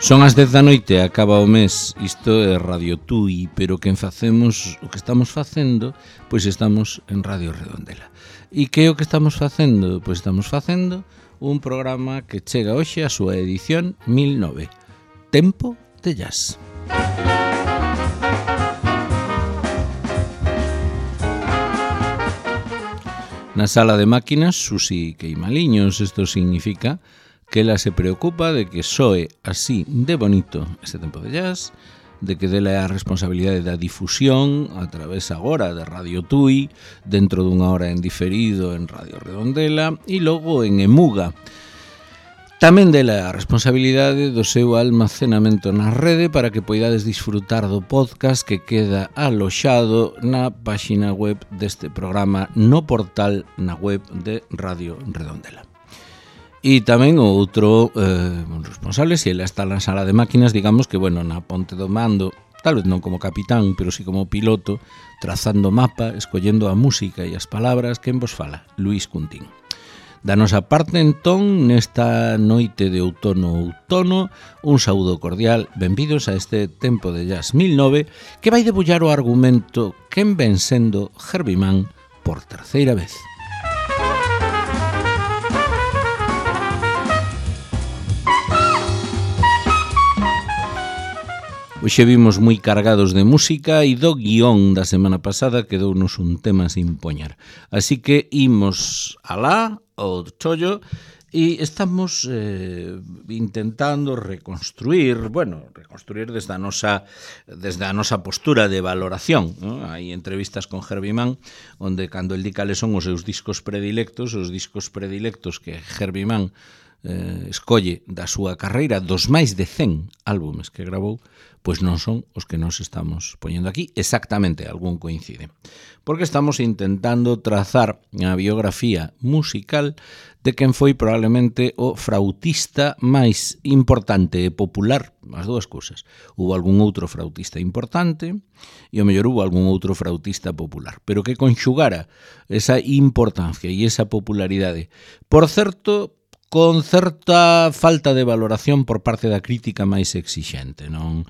Son as 10 da noite, acaba o mes, isto é Radio Tui, pero que facemos, o que estamos facendo, pois estamos en Radio Redondela. E que é o que estamos facendo? Pois estamos facendo un programa que chega hoxe a súa edición 1009, Tempo de Jazz. Na sala de máquinas, Susi Queimaliños, isto significa que ela se preocupa de que soe así de bonito este Tempo de Jazz, de que dela é a responsabilidade da difusión a través agora de Radio Tui, dentro dunha hora en diferido en Radio Redondela e logo en Emuga. Tamén dela é a responsabilidade do seu almacenamento na rede para que poidades disfrutar do podcast que queda aloxado na páxina web deste programa, no portal na web de Radio Redondela. E tamén o outro responsable, se ela está na sala de máquinas, digamos que, bueno, na ponte do mando, tal vez non como capitán, pero sí como piloto, trazando mapa, escollendo a música e as palabras, quen vos fala? Luís Cuntín. Da nosa parte, entón, nesta noite de outono, un saúdo cordial, benvidos a este Tempo de Jazz 1009, que vai debullar o argumento quen ven sendo Herbie Mann por terceira vez. Hoxe vimos moi cargados de música e do guión da semana pasada quedounos un tema sin poñer. Así que imos alá, ao chollo, e estamos intentando reconstruir desde a nosa postura de valoración, ¿no? Hai entrevistas con Herbie Mann onde cando el di cales son os seus discos predilectos que Herbie Mann escolle da súa carreira, dos máis de 100 álbumes que gravou, pois non son os que nos estamos poñendo aquí. Exactamente, algún coincide. Porque estamos intentando trazar a biografía musical de quen foi probablemente o frautista máis importante e popular, as dúas cousas. Hubo algún outro frautista importante e ao mellor hubo algún outro frautista popular, pero que conxugara esa importancia e esa popularidade. Por certo, con certa falta de valoración por parte da crítica máis exixente, non?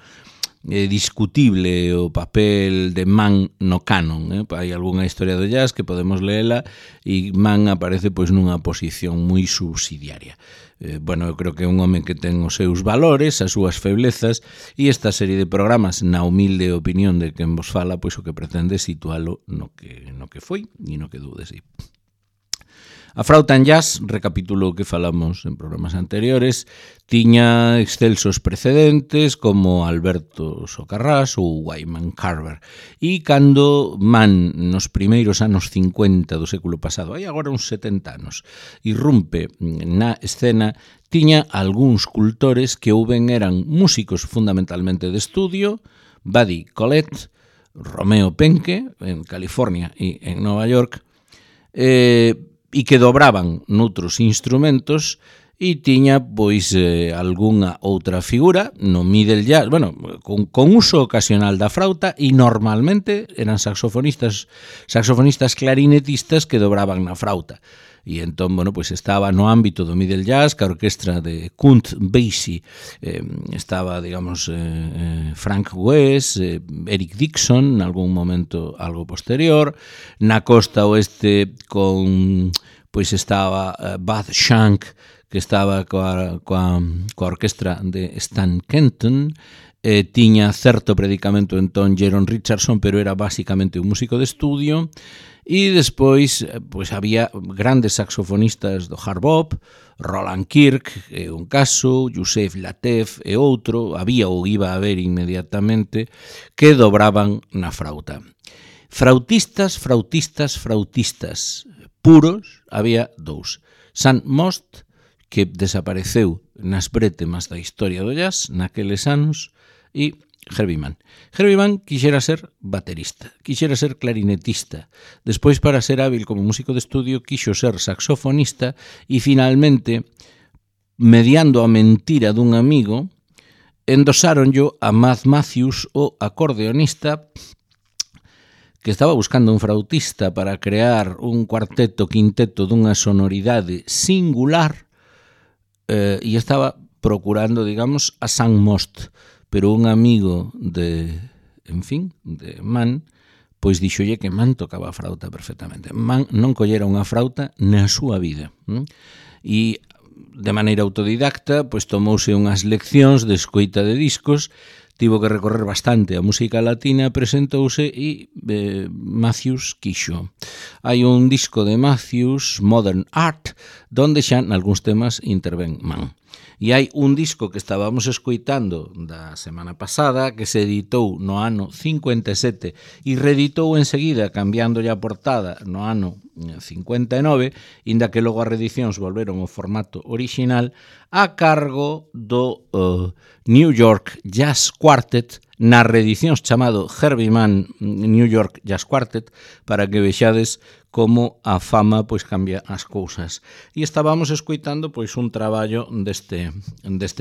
É discutible o papel de Mann no canon, hai algunha historia do jazz que podemos leela e Mann aparece pois nunha posición moi subsidiaria. Eu creo que é un home que ten os seus valores, as súas feblezas, e esta serie de programas, na humilde opinión de quen vos fala, pois o que pretende situalo no que foi e no que dou de si. A frauta en jazz, recapitulo o que falamos en programas anteriores, tiña excelsos precedentes como Alberto Socarrás ou Wyman Carver. E cando Mann, nos primeiros anos 50 do século pasado, hai agora uns 70 anos, irrumpe na escena, tiña algúns cultores que ou ben eran músicos fundamentalmente de estudio, Buddy Collette, Romeo Penke, en California e en Nova York, e que dobraban noutros instrumentos e tiña, pois, algunha outra figura no middle jazz, con uso ocasional da frauta e normalmente eran saxofonistas clarinetistas que dobraban na frauta. E entón, pois estaba no ámbito do middle jazz, que a orquestra de Count Basie estaba, digamos, Frank West, Eric Dixon, en algún momento algo posterior. Na costa oeste pois estaba Bud Shank, que estaba coa orquestra de Stan Kenton. Tiña certo predicamento entón Jeron Richardson, pero era basicamente un músico de estudio. E despois, pois había grandes saxofonistas do hard bop, Roland Kirk é un caso, Yusef Lateef é outro, había ou iba a haber inmediatamente, que dobraban na frauta. Frautistas puros, había dous. Sam Most, que desapareceu nas brétemas da historia do jazz naqueles anos, e Herbie Mann. Herbie Mann quixera ser baterista, quixera ser clarinetista. Despois, para ser hábil como músico de estudio, quixo ser saxofonista e, finalmente, mediando a mentira dun amigo, endosáronllo a Matt Matthews, o acordeonista, que estaba buscando un frautista para crear un cuarteto, quinteto dunha sonoridade singular, e estaba procurando, digamos, a San Most, pero un amigo de Man, pois dixolle que Man tocaba a frauta perfectamente. Man non collera unha frauta na súa vida. E de maneira autodidacta, pois tomouse unhas leccións de escoita de discos, tivo que recorrer bastante a música latina, presentouse e Matthews quixo. Hai un disco de Matthews, Modern Art, donde xa nalgúns temas intervén Man. E hai un disco que estábamos escoitando da semana pasada que se editou no ano 57 e reeditou enseguida cambiándolle a portada no ano 59, inda que logo as reedicións volveron ao formato orixinal, a cargo do New York Jazz Quartet, nas reedicións chamado Herbie Mann New York Jazz Quartet, para que vexades como a fama pois cambia as cousas. E estábamos escoitando pois un traballo deste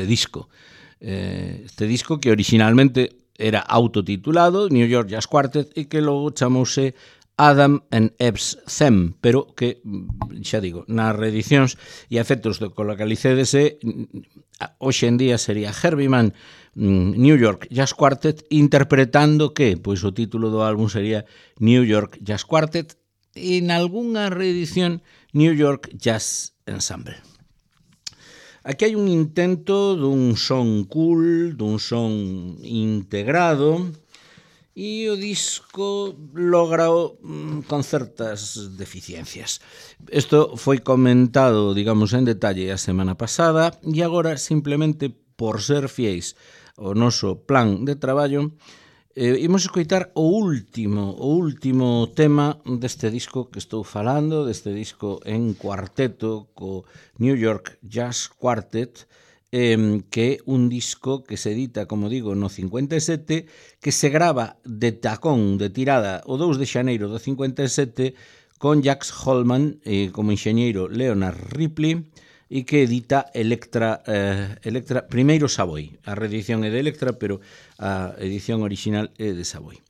disco. Este disco que originalmente era autotitulado New York Jazz Quartet e que logo chamouse Adam and Eve's Them, pero que, xa digo, nas reedicións e a efectos do que localizedese, hoxe en día sería Herbie Mann New York Jazz Quartet, interpretando que, pois o título do álbum sería New York Jazz Quartet e nalgúnha reedición New York Jazz Ensemble. Aquí hai un intento dun son cool, dun son integrado, e o disco logra con certas deficiencias. Isto foi comentado, digamos, en detalle a semana pasada e agora, simplemente por ser fiéis ao noso plan de traballo, imos escoitar o último tema deste disco que estou falando, deste disco en cuarteto co New York Jazz Quartet, que é un disco que se edita, como digo, no 57, que se grava de tacón, de tirada, o 2 de xaneiro do 57, con Jax Holman como enxeñeiro Leonard Ripley, e que edita Electra primeiro Savoy. A reedición é de Electra, pero a edición original é de Savoy.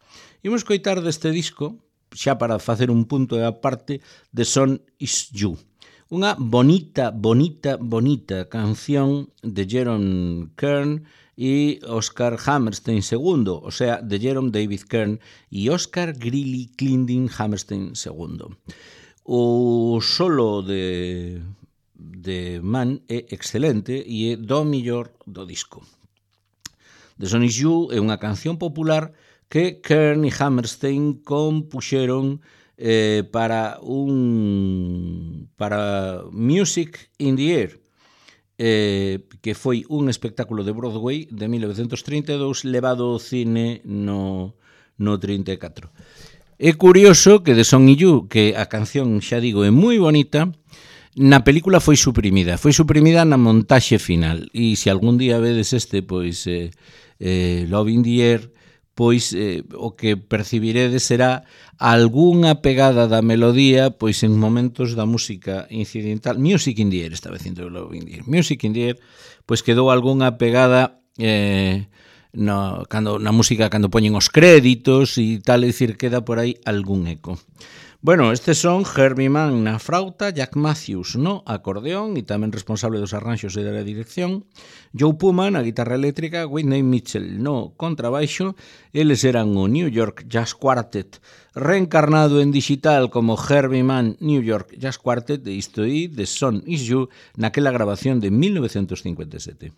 Imos coitar deste disco, xa para facer un punto de aparte, The Sun Is You. Unha bonita canción de Jerome Kern e Oscar Hammerstein II, o sea, de Jerome David Kern e Oscar Greeley Clendon Hammerstein II. O solo de Man é excelente e é do millor do disco. The Sun Is You é unha canción popular que Kern e Hammerstein compuxeron para Music in the Air, que foi un espectáculo de Broadway de 1932 levado ao cine no 34. É curioso que The Sun Is You, que a canción, xa digo, é moi bonita, na película foi suprimida na montaxe final, e se algún día vedes pois Love in the Air, pois o que percibiredes será algunha pegada da melodía pois en momentos da música incidental. Music in the Air, estaba dicindo Love in the Air. Music in the Air, pois quedou algunha pegada na música cando poñen os créditos e tal, é dicir, queda por aí algún eco. Bueno, estes son Herbie Mann na frauta, Jack Matthews no acordeón e tamén responsable dos arranxos e da dirección, Joe Puma na guitarra eléctrica, Whitney Mitchell no contrabaixo. Eles eran o New York Jazz Quartet reencarnado en digital como Herbie Mann New York Jazz Quartet, e isto aí, The Sun Is You, naquela grabación de 1957.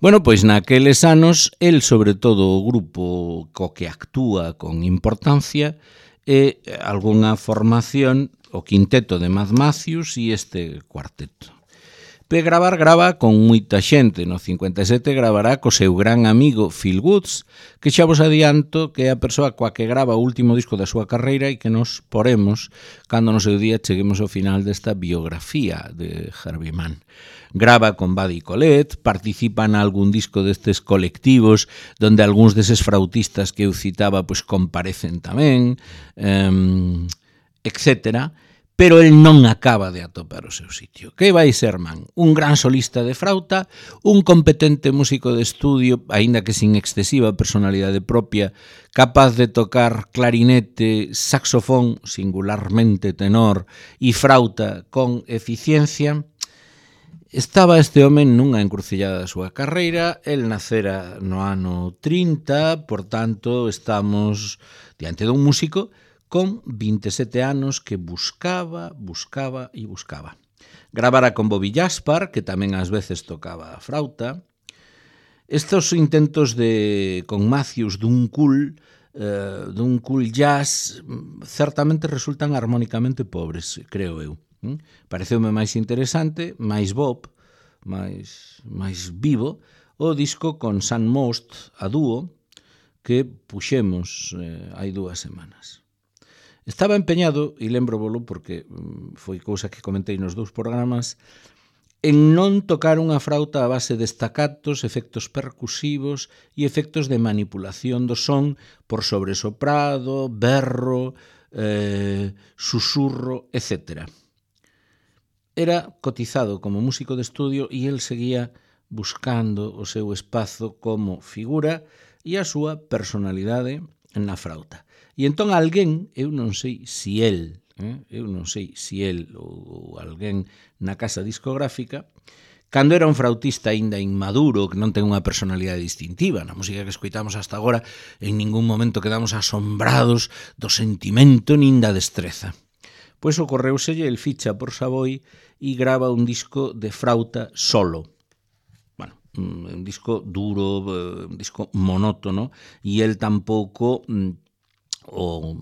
Bueno, pois naqueles anos, el, sobre todo, o grupo co que actúa con importancia é algunha formación, o quinteto de Mad Matthews e este cuarteto. Grava con moita xente. No 57 gravará co seu gran amigo Phil Woods, que xa vos adianto que é a persoa coa que grava o último disco da súa carreira e que nos poremos cando no seu día cheguemos ao final desta biografía de Herbie Mann. Grava con Buddy Collette, participa en algún disco destes colectivos donde algúns deses frautistas que eu citaba pois comparecen tamén, etcétera. Pero el non acaba de atopar o seu sitio. Que vai ser Mann? Un gran solista de frauta, un competente músico de estudio, aínda que sin excesiva personalidade propia, capaz de tocar clarinete, saxofón, singularmente tenor, e frauta con eficiencia. Estaba este home nunha encrucillada da súa carreira, el nacera no ano 30, por tanto, estamos diante dun músico con 27 anos que buscaba. Gravara con Bobby Jaspar, que tamén ás veces tocaba a frauta. Estos intentos con Matthews dun cool jazz certamente resultan armónicamente pobres, creo eu. Pareceume máis interesante, máis Bob, máis vivo, o disco con Sam Most a dúo que puxemos hai 2 semanas. Estaba empeñado, e lembro-volo porque foi cousa que comentei nos 2 programas, en non tocar unha frauta a base de staccatos, efectos percusivos e efectos de manipulación do son por sobresoprado, berro, susurro, etc. Era cotizado como músico de estudio e el seguía buscando o seu espazo como figura e a súa personalidade na frauta. E entón alguén, eu non sei se el ou alguén na casa discográfica, cando era un frautista aínda inmaduro, que non ten unha personalidade distintiva, na música que escoitamos hasta agora, en ningún momento quedamos asombrados do sentimento nin da destreza. Pois ocorreuselle, el ficha por Savoy e grava un disco de frauta solo. Bueno, un disco duro, un disco monótono, e el tampouco o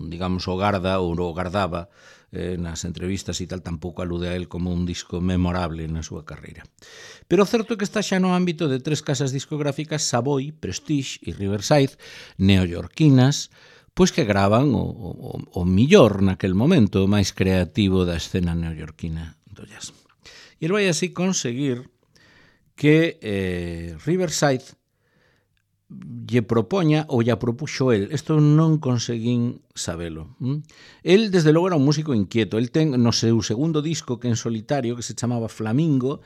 gardaba nas entrevistas e tal, tampouco alude a él como un disco memorable na súa carreira. Pero o certo é que está xa no ámbito de 3 casas discográficas, Savoy, Prestige e Riverside, neoyorquinas, pois que gravan o millor naquel momento, o máis creativo da escena neoyorquina do jazz. E el vai así conseguir que Riverside lle propoña, ou lle propuxo el, isto non conseguín sabelo. El, desde logo, era un músico inquieto. El ten, no seu segundo disco, que en solitario, que se chamaba Flamingo,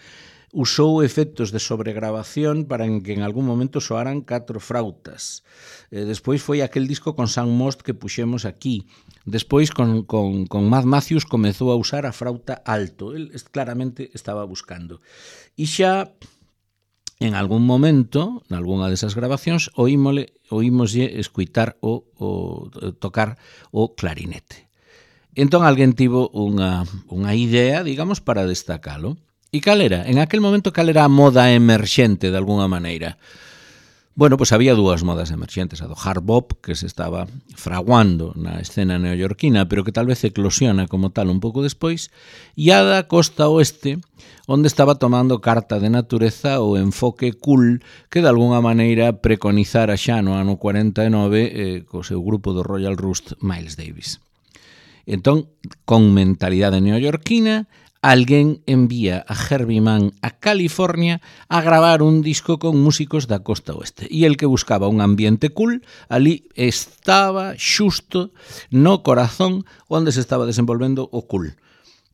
usou efectos de sobregrabación para que en algún momento soaran 4 frautas. Despois foi aquel disco con Sam Most que puxemos aquí. Despois, con Matt Matthews, comezou a usar a frauta alto. El claramente estaba buscando. E xa, en algún momento, en algunha desas grabacións, oímoslle escuitar tocar o clarinete. Entón, alguén tivo unha idea, digamos, para destacalo. E cal era? En aquel momento, cal era a moda emerxente, de alguna maneira? Bueno, pois había dúas modas emerxentes, a do hard bop, que se estaba fraguando na escena neoyorquina, pero que tal vez eclosiona como tal un pouco despois, e a da costa oeste, onde estaba tomando carta de natureza o enfoque cool que de alguna maneira preconizara xa no ano 49 co seu grupo do Royal Rust, Miles Davis. Entón, con mentalidade neoyorquina, alguén envía a Herbie Mann a California a gravar un disco con músicos da costa oeste. E el que buscaba un ambiente cool, ali estaba xusto no corazón onde se estaba desenvolvendo o cool.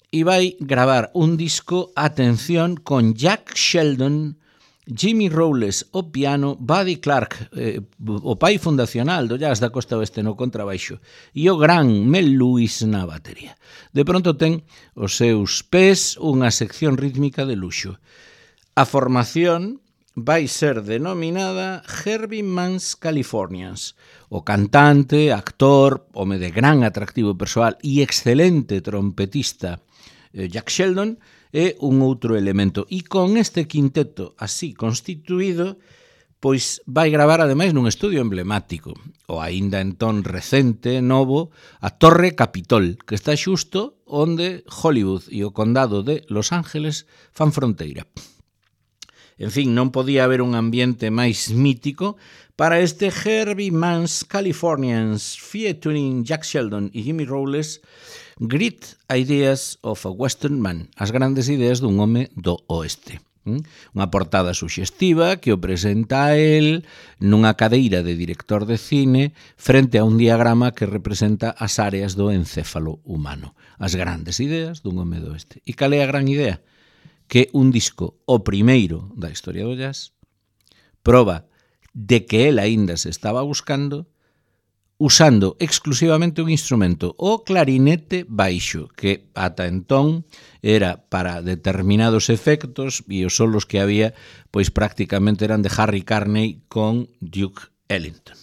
E vai gravar un disco, atención, con Jack Sheldon, Jimmy Rowles o piano, Buddy Clark, o pai fundacional do jazz da costa oeste no contrabaixo, e o gran Mel Lewis na batería. De pronto ten os seus pés unha sección rítmica de luxo. A formación vai ser denominada Herbie Mann's Californians. O cantante, actor, home de gran atractivo persoal e excelente trompetista Jack Sheldon é un outro elemento. E con este quinteto así constituído, pois vai gravar ademais nun estudio emblemático, o aínda entón recente, novo, a Torre Capitol, que está xusto onde Hollywood e o condado de Los Ángeles fan fronteira. En fin, non podía haber un ambiente máis mítico para este Herbie Mann's Californians featuring Jack Sheldon e Jimmy Rowles, Great Ideas of a Western Man, as grandes ideas dun home do oeste. Unha portada suxestiva que o presenta a él nunha cadeira de director de cine frente a un diagrama que representa as áreas do encéfalo humano. As grandes ideas dun home do oeste. E cal é a gran idea? Que un disco, o primeiro da historia do jazz, proba de que él aínda se estaba buscando usando exclusivamente un instrumento, o clarinete baixo, que ata entón era para determinados efectos e os solos que había pois prácticamente eran de Harry Carney con Duke Ellington.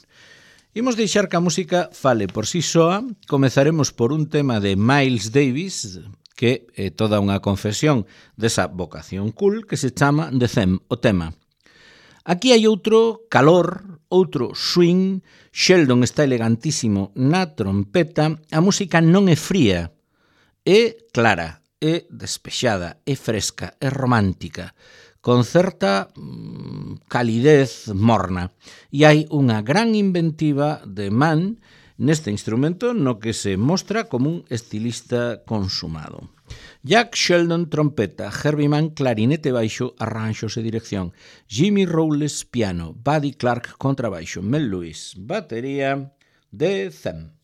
Imos deixar que a música fale por si soa. Comezaremos por un tema de Miles Davis, que é toda unha confesión desa vocación cool que se chama The Theme, o tema. Aquí hai outro calor, outro swing. Sheldon está elegantísimo na trompeta. A música non é fría, é clara, é despexada, é fresca, é romántica, con certa calidez morna. E hai unha gran inventiva de Mann neste instrumento no que se mostra como un estilista consumado. Jack Sheldon trompeta, Herbie Mann clarinete baixo, arranxos e dirección, Jimmy Rowles piano, Buddy Clark contrabaixo, Mel Lewis batería, The Theme.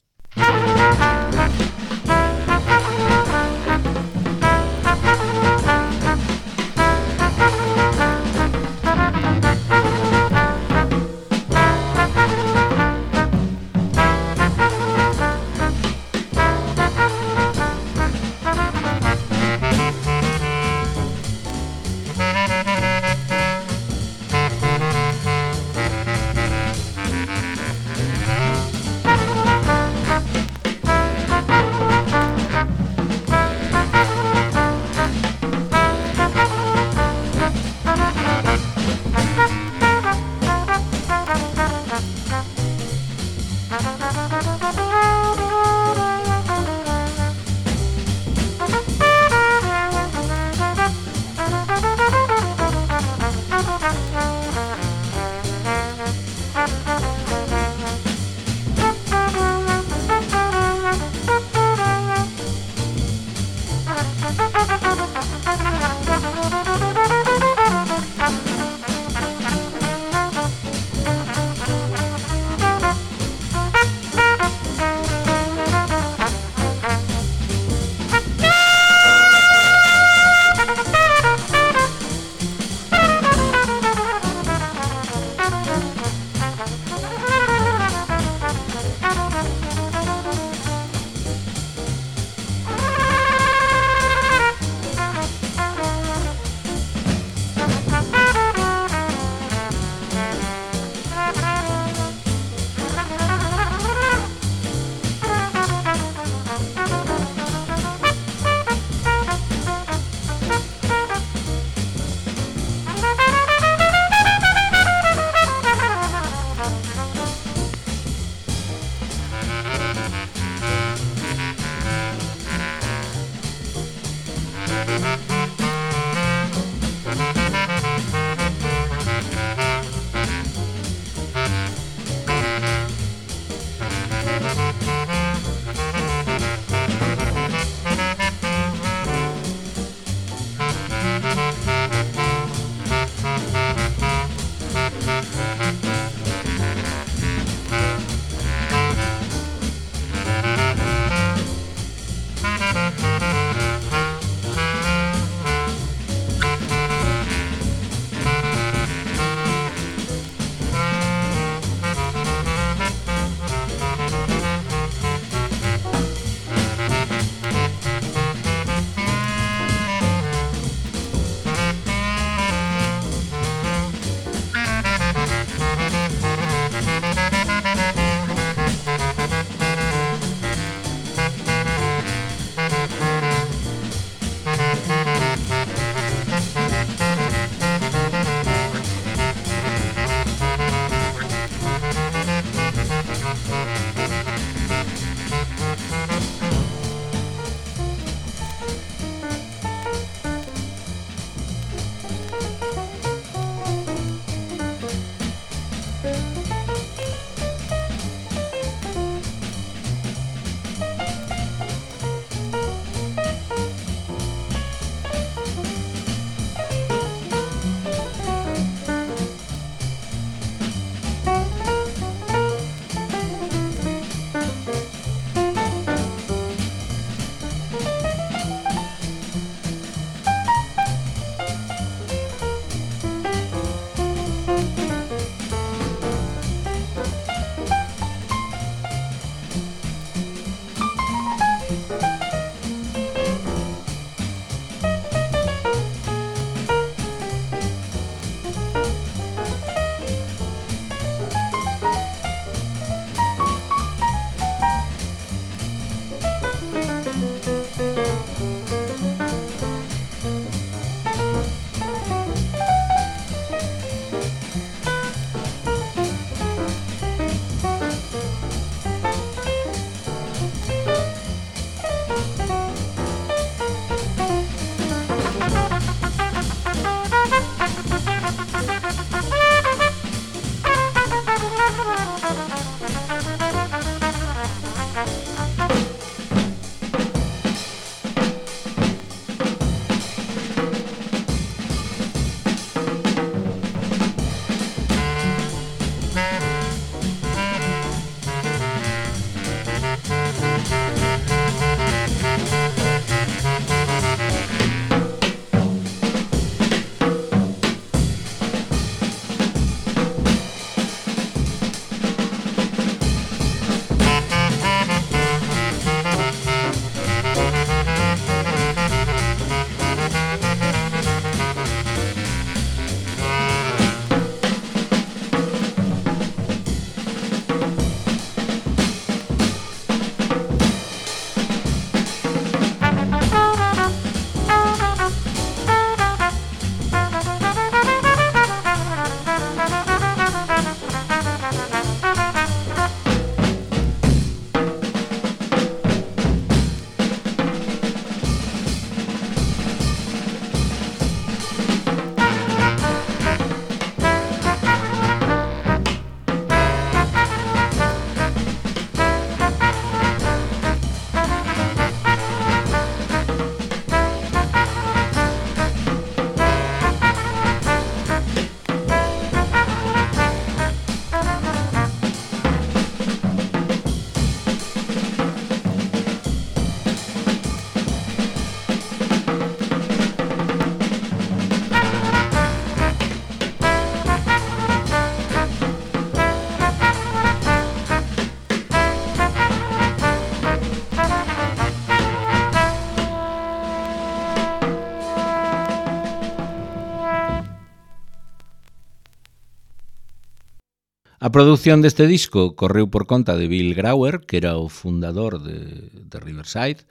A produción deste disco correu por conta de Bill Grauer, que era o fundador de Riverside.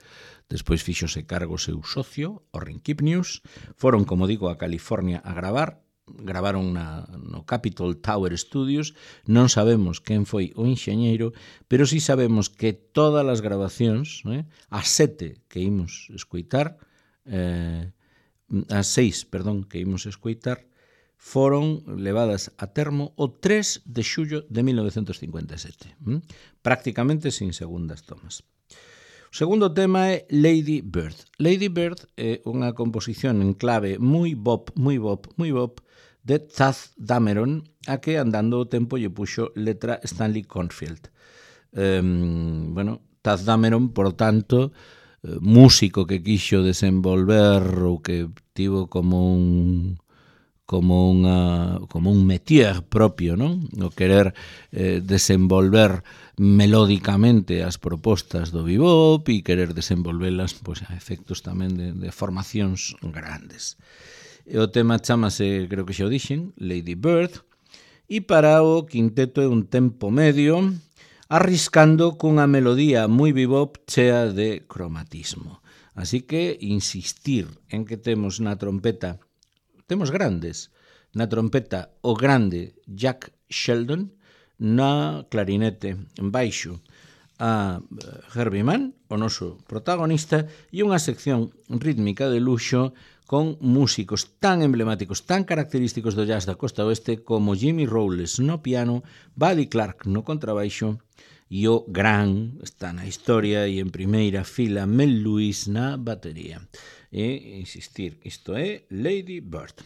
Despois fíxose cargo seu socio, Orrin Kipnius. Foron, como digo, a California a gravar. Gravaron no Capitol Tower Studios. Non sabemos quen foi o enxeñeiro, pero sí sabemos que todas as grabacións, as 7 que imos escoitar, as 6, perdón, que imos escoitar, foron levadas a termo o 3 de xullo de 1957, prácticamente sin segundas tomas. O segundo tema é Lady Bird. Lady Bird é unha composición en clave moi bop, de Taff Dameron, a que andando o tempo lle puxo letra Stanley Cornfield. Taff Dameron, por tanto, músico que quixo desenvolver ou que tivo como un métier propio, non? O querer desenvolver melódicamente as propostas do bebop e querer desenvolvelas a efectos tamén de formacións grandes. E o tema chamase, creo que xa o dixen, Lady Bird, e para o quinteto é un tempo medio, arriscando cunha melodía moi bebop chea de cromatismo. Así que insistir en que temos na trompeta, temos grandes, na trompeta o grande Jack Sheldon, na clarinete en baixo a Herbie Mann, o noso protagonista, e unha sección rítmica de luxo con músicos tan emblemáticos, tan característicos do jazz da costa oeste como Jimmy Rowles no piano, Buddy Clark no contrabaixo e o gran, está na historia e en primeira fila, Mel Lewis na batería. E insistir, isto é Lady Bird.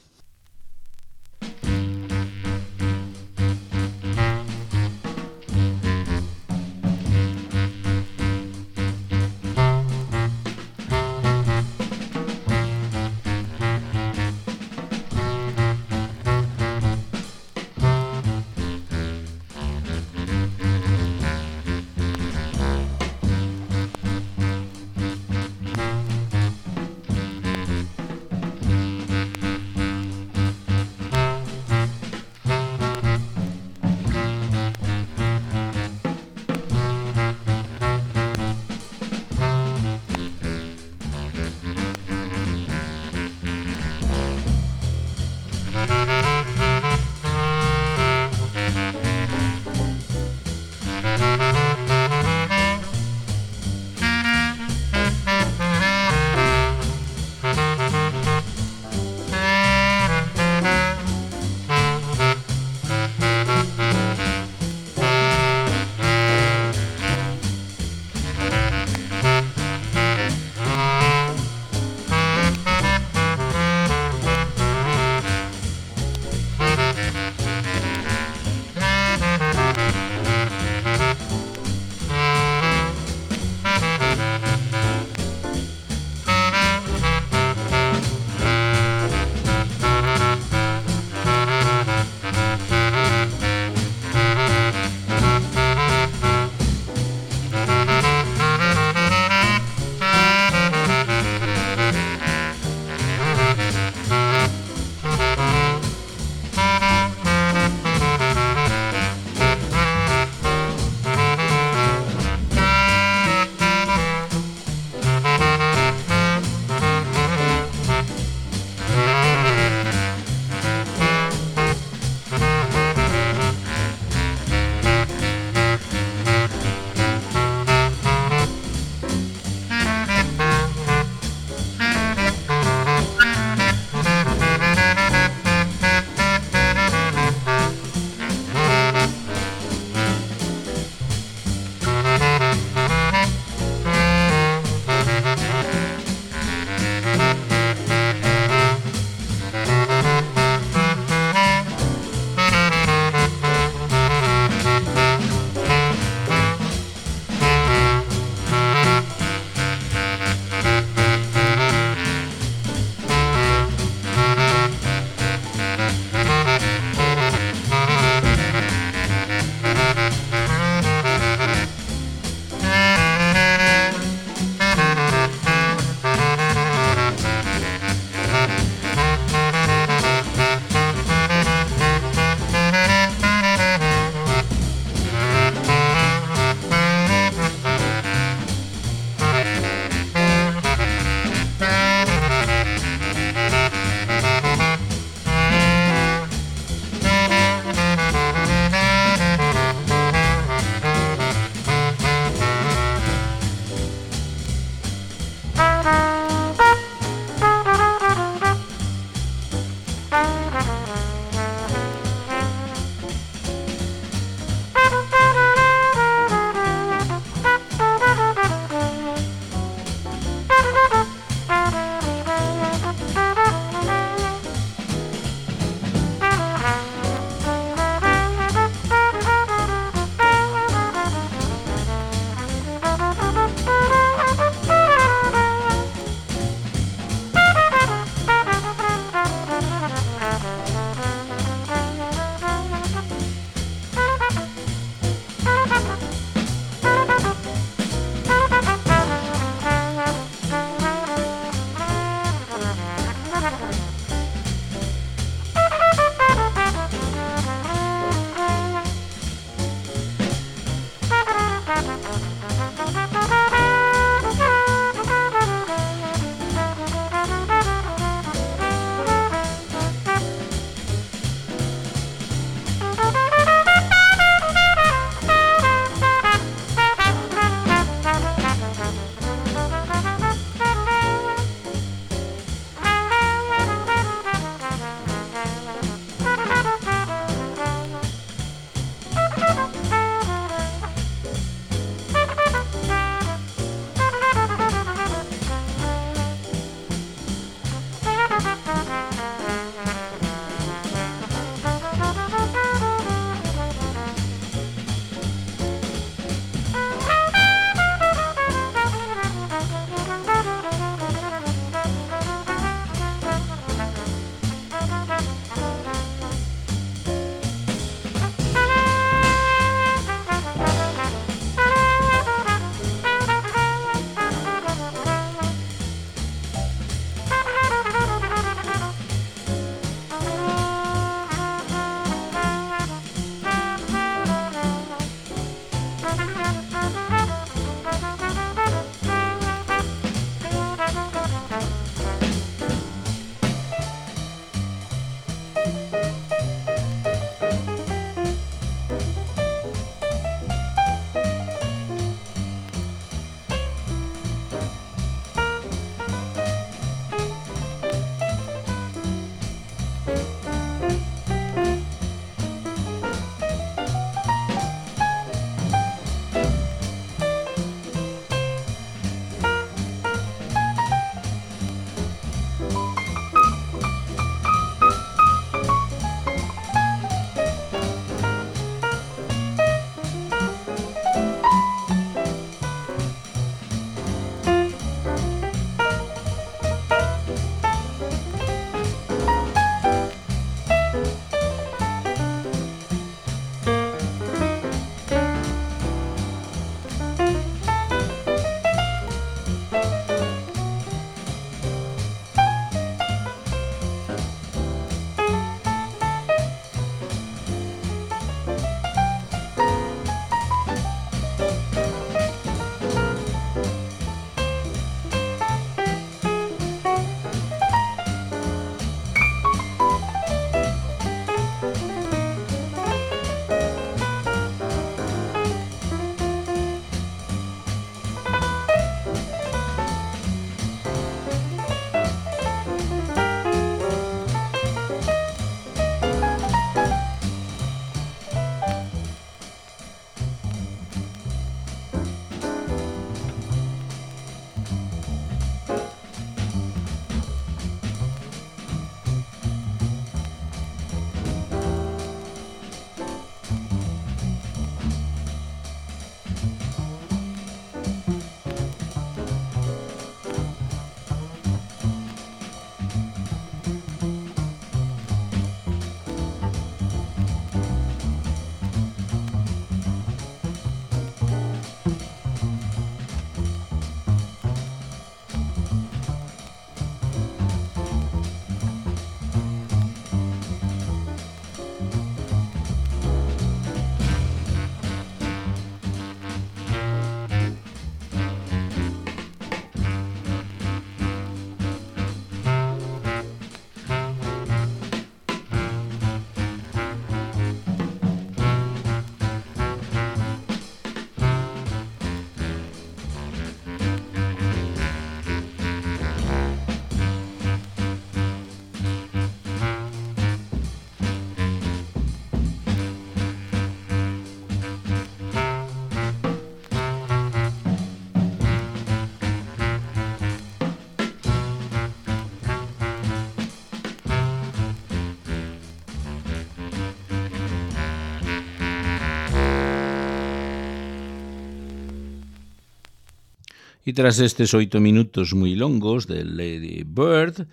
E tras estes 8 minutos moi longos de Lady Bird,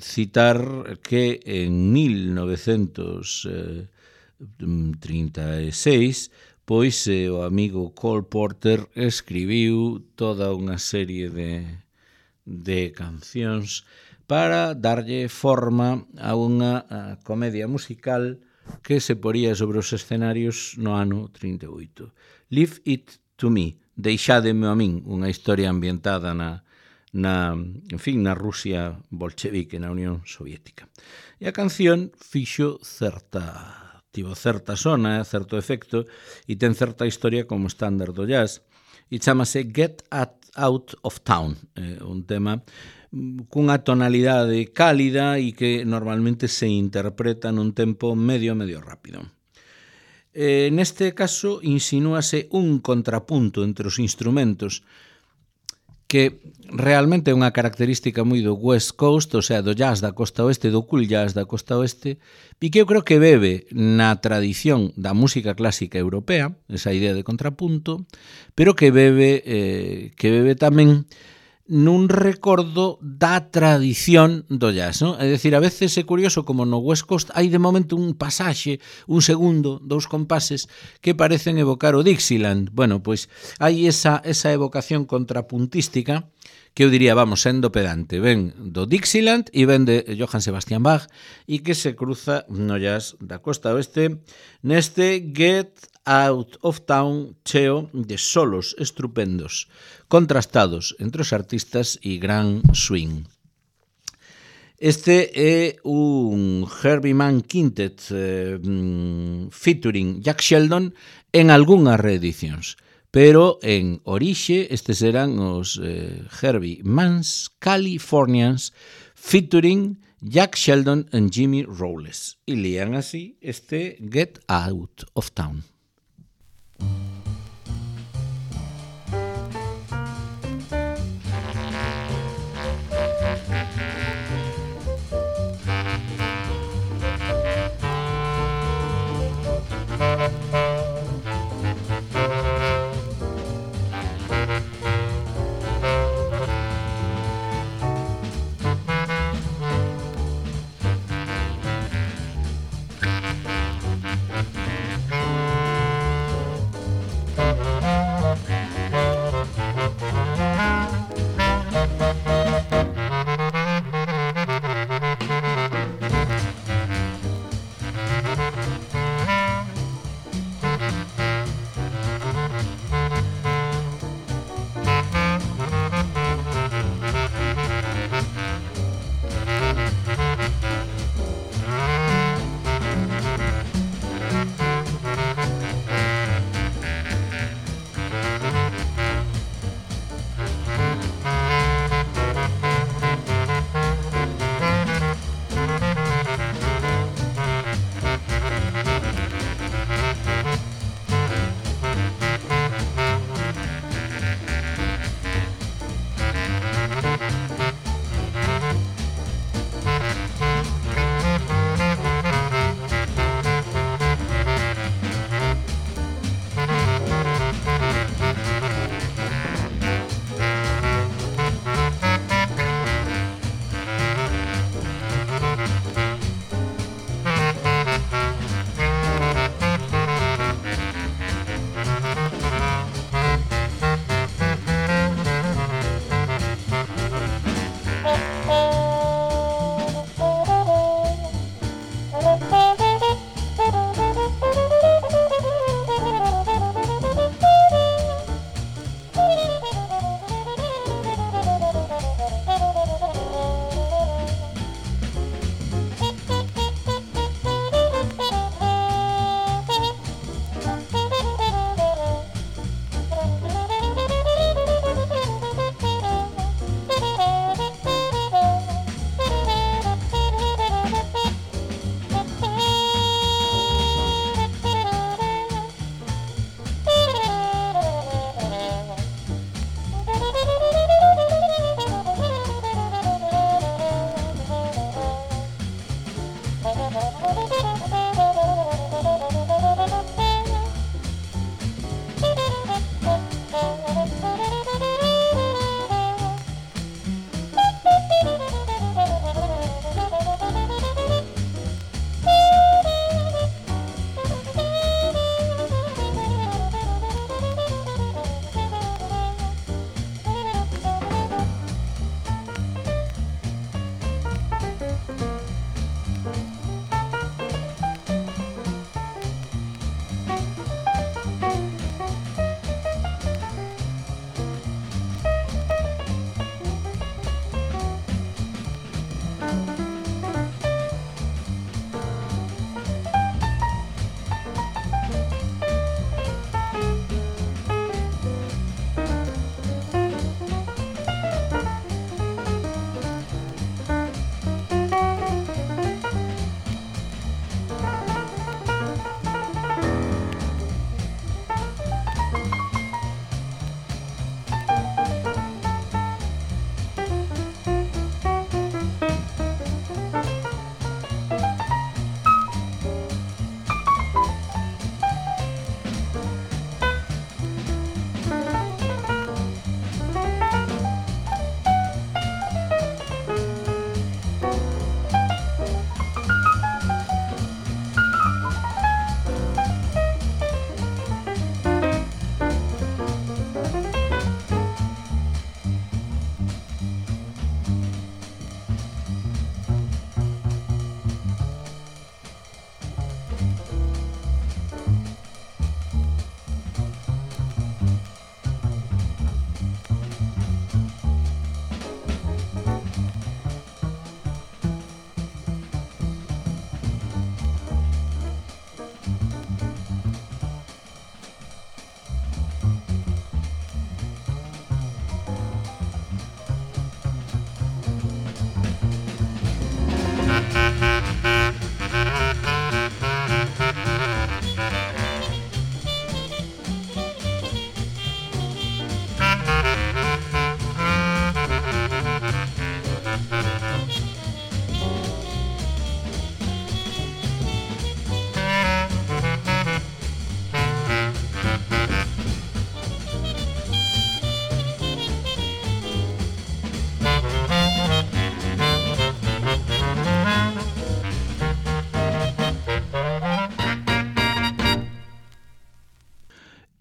citar que en 1936 pois o amigo Cole Porter escribiu toda unha serie de cancións para darlle forma a unha comedia musical que se poría sobre os escenarios no ano 38. Leave It to Me, Deixádeme a min, unha historia ambientada na Rusia bolchevique, na Unión Soviética. E a canción tivo certa sona, certo efecto, e ten certa historia como estándar do jazz, e chamase Get Out of Town, un tema cunha tonalidade cálida e que normalmente se interpreta nun tempo medio rápido. Neste caso, insinúase un contrapunto entre os instrumentos que realmente é unha característica moi do West Coast, o sea, do jazz da costa oeste, do cool jazz da costa oeste, e que eu creo que bebe na tradición da música clásica europea, esa idea de contrapunto, pero que bebe tamén nun recordo da tradición do jazz, non? É dicir, a veces é curioso como no West Coast hai de momento un pasaxe, un segundo, 2 compases que parecen evocar o Dixieland. Bueno, pois hai esa evocación contrapuntística que eu diría, vamos, sendo pedante, ven do Dixieland e ven de Johann Sebastian Bach e que se cruza no jazz da costa oeste neste Get Out of Town cheo de solos estupendos, contrastados entre os artistas e gran swing. Este é un Herbie Mann Quintet featuring Jack Sheldon en algunhas reedicións, pero en orixe estes eran os Herbie Mann's Californians featuring Jack Sheldon and Jimmy Rowles, e lían así este Get Out of Town.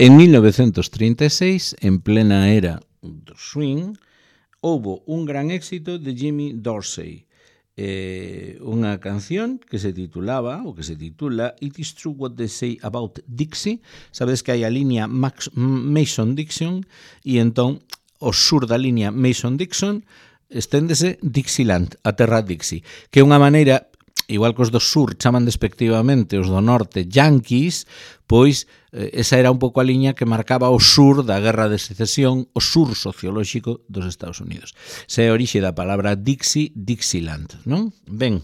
En 1936, en plena era do swing, houbo un gran éxito de Jimmy Dorsey, unha canción que se titulaba, ou que se titula It is True What They Say About Dixie. Sabes que hai a línea Mason-Dixon e entón o sur da línea Mason-Dixon esténdese Dixieland, a terra Dixie, que é unha maneira, igual que os do sur chaman despectivamente os do norte Yankees, pois esa era un pouco a liña que marcaba o sur da Guerra de Secesión, o sur sociolóxico dos Estados Unidos. Se é a orixe da palabra Dixie, Dixieland, non? Ben,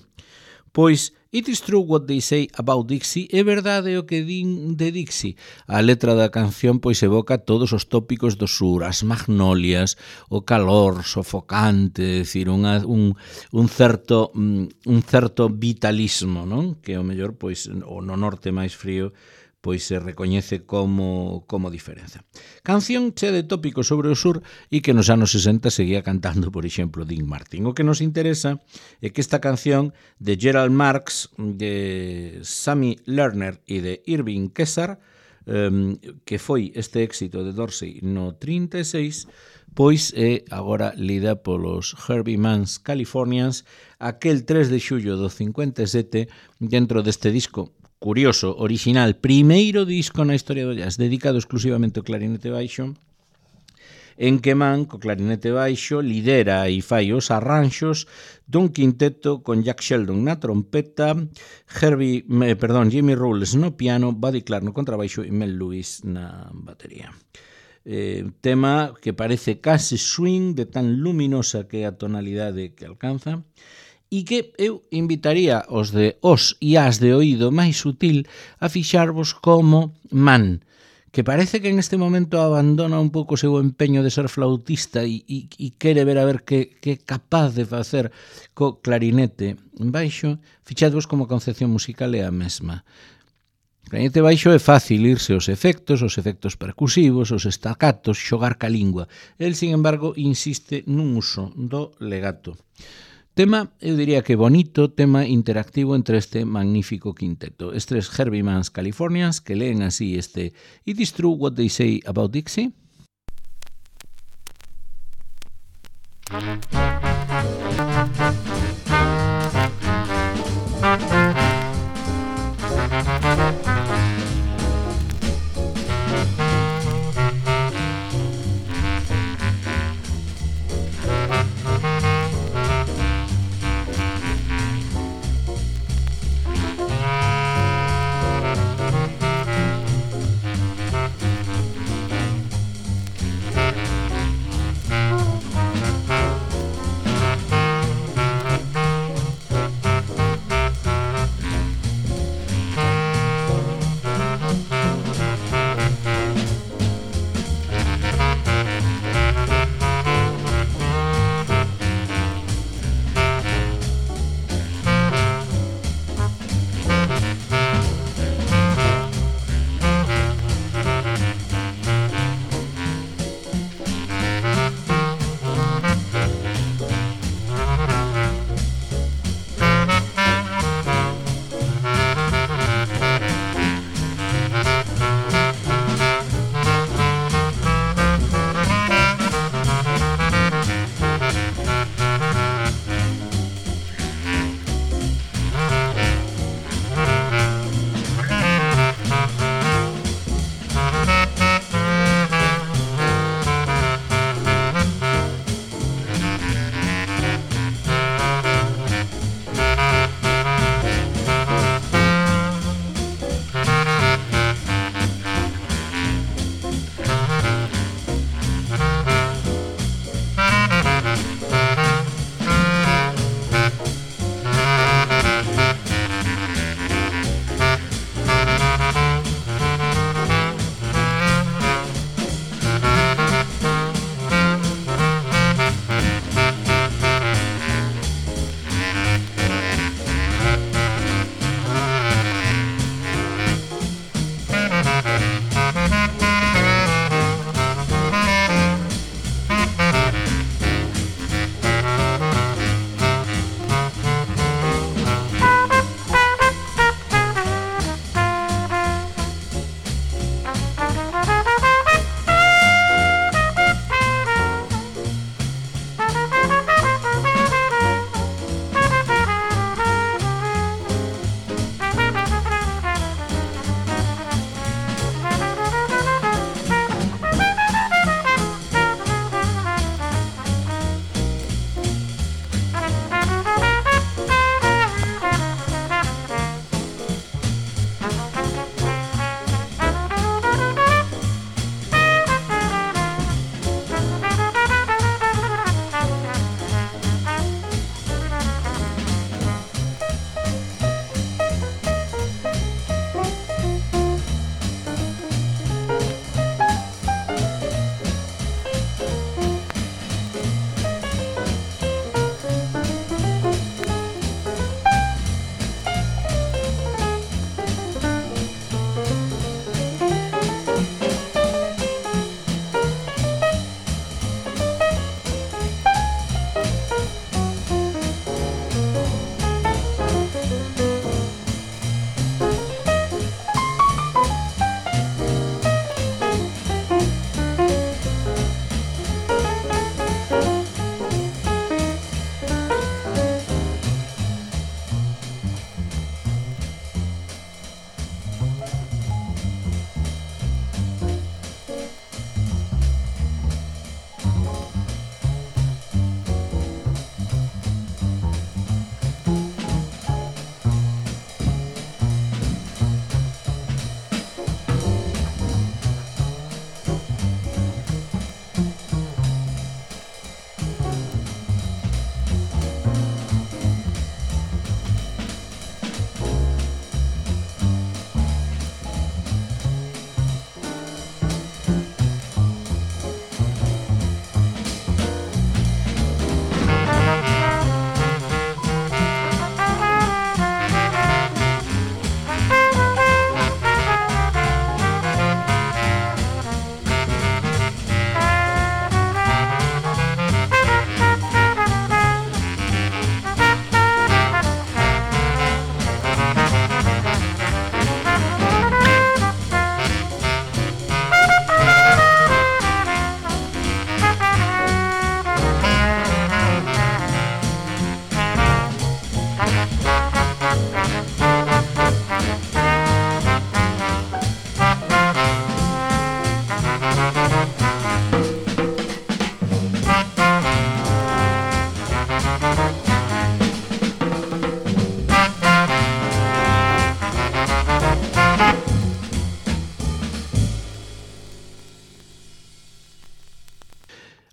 pois It is True What They Say About Dixie é verdade o que din de Dixie. A letra da canción pois evoca todos os tópicos do sur, as magnolias, o calor sofocante, é dicir, un certo vitalismo, non? Que ao mellor pois o no norte máis frío pois se recoñece como diferenza. Canción chea de tópicos sobre o sur e que nos anos 60 seguía cantando, por exemplo, Dean Martin. O que nos interesa é que esta canción de Gerald Marx, de Sammy Lerner e de Irving Kesar, que foi este éxito de Dorsey no 36, pois é agora lida polos Herbie Manns Californians aquel 3 de xullo do 57 dentro deste disco curioso, original, primeiro disco na historia do jazz dedicado exclusivamente ao clarinete baixo, en que Mann, co clarinete baixo, lidera e fai os arranxos dun quinteto con Jack Sheldon na trompeta, Jimmy Rolls no piano, Buddy Clark no contrabaixo e Mel Lewis na batería. Tema que parece case swing de tan luminosa que é a tonalidade que alcanza, e que eu invitaría os e as de oído máis sutil a fixarvos como Mann, que parece que en este momento abandona un pouco o seu empeño de ser flautista e quere ver a ver que é capaz de facer co clarinete baixo. Fixadvos como a concepción musical é a mesma. O clarinete baixo é fácil irse os efectos percusivos, os staccatos, xogar ca lingua. El, sin embargo, insiste nun uso do legato. Tema, eu diría que bonito, tema interactivo entre este magnífico quinteto. Estes Herbie Manns Californians que leen así este It is True What They Say About Dixie.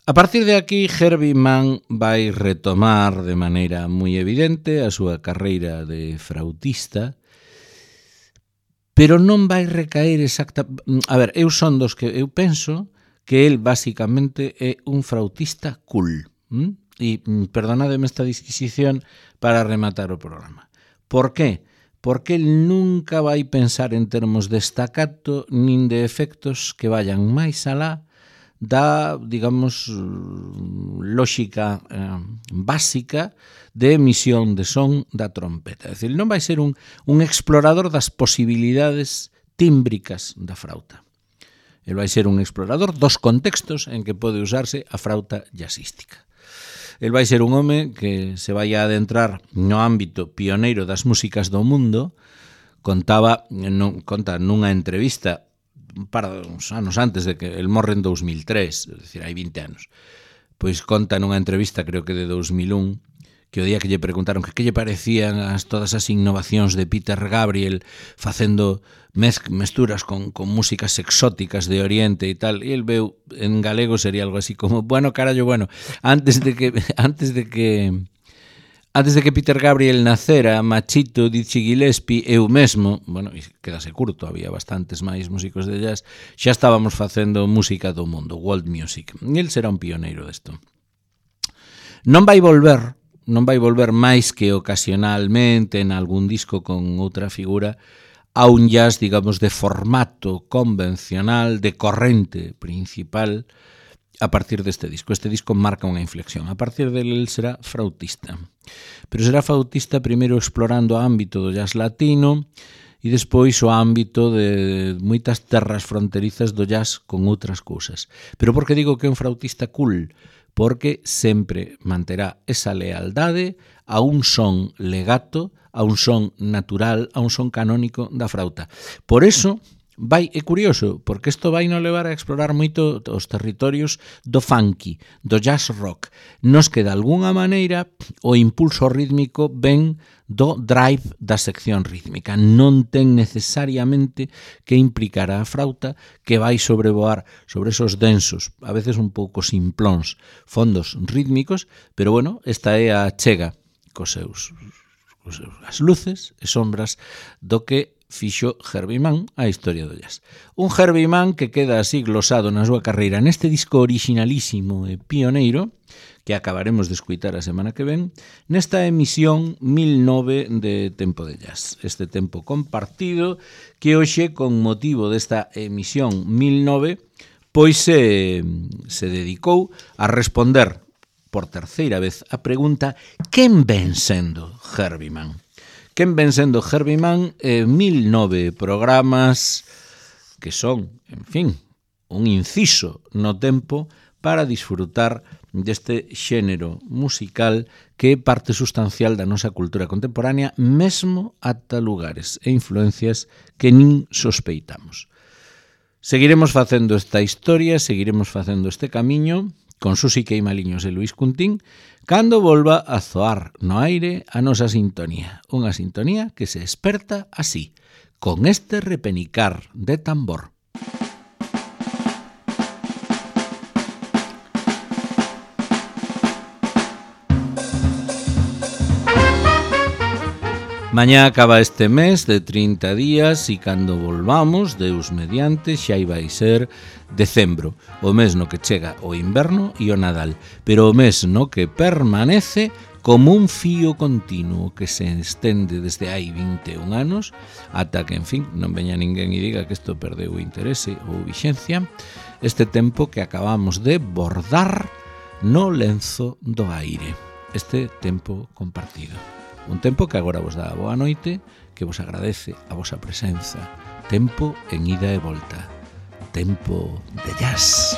A partir de aquí, Herbie Mann vai retomar de maneira moi evidente a súa carreira de flautista, pero non vai recaer exacta... A ver, eu penso que el basicamente é un flautista cool. E perdonademe esta disquisición para rematar o programa. Por qué? Porque el nunca vai pensar en termos de staccato nin de efectos que vayan máis alá da, digamos, lógica básica de emisión de son da trompeta. É dicir, non vai ser un explorador das posibilidades tímbricas da frauta. El vai ser un explorador dos contextos en que pode usarse a frauta jazzística. El vai ser un home que se vai a adentrar no ámbito pioneiro das músicas do mundo. Conta nunha entrevista un par de anos antes de que el morre en 2003, é dicir, hai 20 anos. Pois conta nunha entrevista, creo que de 2001, que o día que lle preguntaron que lle parecían todas as innovacións de Peter Gabriel facendo mesturas con músicas exóticas de Oriente e tal, e el veu en galego sería algo así como, bueno, carallo, bueno, antes de que Peter Gabriel nacera, Machito, Dizzy Gillespie, eu mesmo, bueno, quedase curto, había bastantes máis músicos de jazz, xa estábamos facendo música do mundo, world music, e el será un pioneiro desto. Non vai volver máis que ocasionalmente en algún disco con outra figura a un jazz, digamos, de formato convencional, de corrente principal, a partir deste disco. Este disco marca unha inflexión. A partir dele, el será flautista. Pero será flautista primeiro explorando o ámbito do jazz latino e despois o ámbito de moitas terras fronterizas do jazz con outras cousas. Pero por que digo que é un flautista cool? Porque sempre manterá esa lealdade a un son legato, a un son natural, a un son canónico da frauta. Por eso, é curioso, porque isto vai nos levar a explorar moito os territorios do funky, do jazz rock. Nos que, de alguna maneira, o impulso rítmico ven do drive da sección rítmica. Non ten necesariamente que implicar a frauta que vai sobrevoar sobre esos densos, a veces un pouco simplóns, fondos rítmicos, pero bueno, esta é a chega as luces e sombras do que fixo Herbie Mann a historia do jazz. Un Herbie Mann que queda así glosado na súa carreira neste disco originalísimo e pioneiro que acabaremos de escuitar a semana que ven, nesta emisión 1009 de Tempo de Jazz. Este tempo compartido que hoxe, con motivo desta emisión 1009, pois se dedicou a responder por terceira vez a pregunta: quen ven sendo Herbie Mann? Quen ven sendo Herbie Mann? 1009 programas que son, en fin, un inciso no tempo para disfrutar deste xénero musical que é parte sustancial da nosa cultura contemporánea, mesmo ata lugares e influencias que nin sospeitamos. Seguiremos facendo esta historia, seguiremos facendo este camiño con Susi Queimaliños e Luis Cuntín, cando volva a zoar no aire a nosa sintonía. Unha sintonía que se esperta así, con este repenicar de tambor. Mañá acaba este mes de 30 días e cando volvamos, Deus mediante, xa vai ser decembro, o mes no que chega o inverno e o Nadal, pero o mes no que permanece como un fío continuo que se estende desde hai 21 anos ata que, en fin, non veña ninguén e diga que isto perdeu o interese ou vixencia, este tempo que acabamos de bordar no lenzo do aire, este tempo compartido. Un tempo que agora vos dá a boa noite, que vos agradece a vosa presenza. Tempo en ida e volta. Tempo de jazz.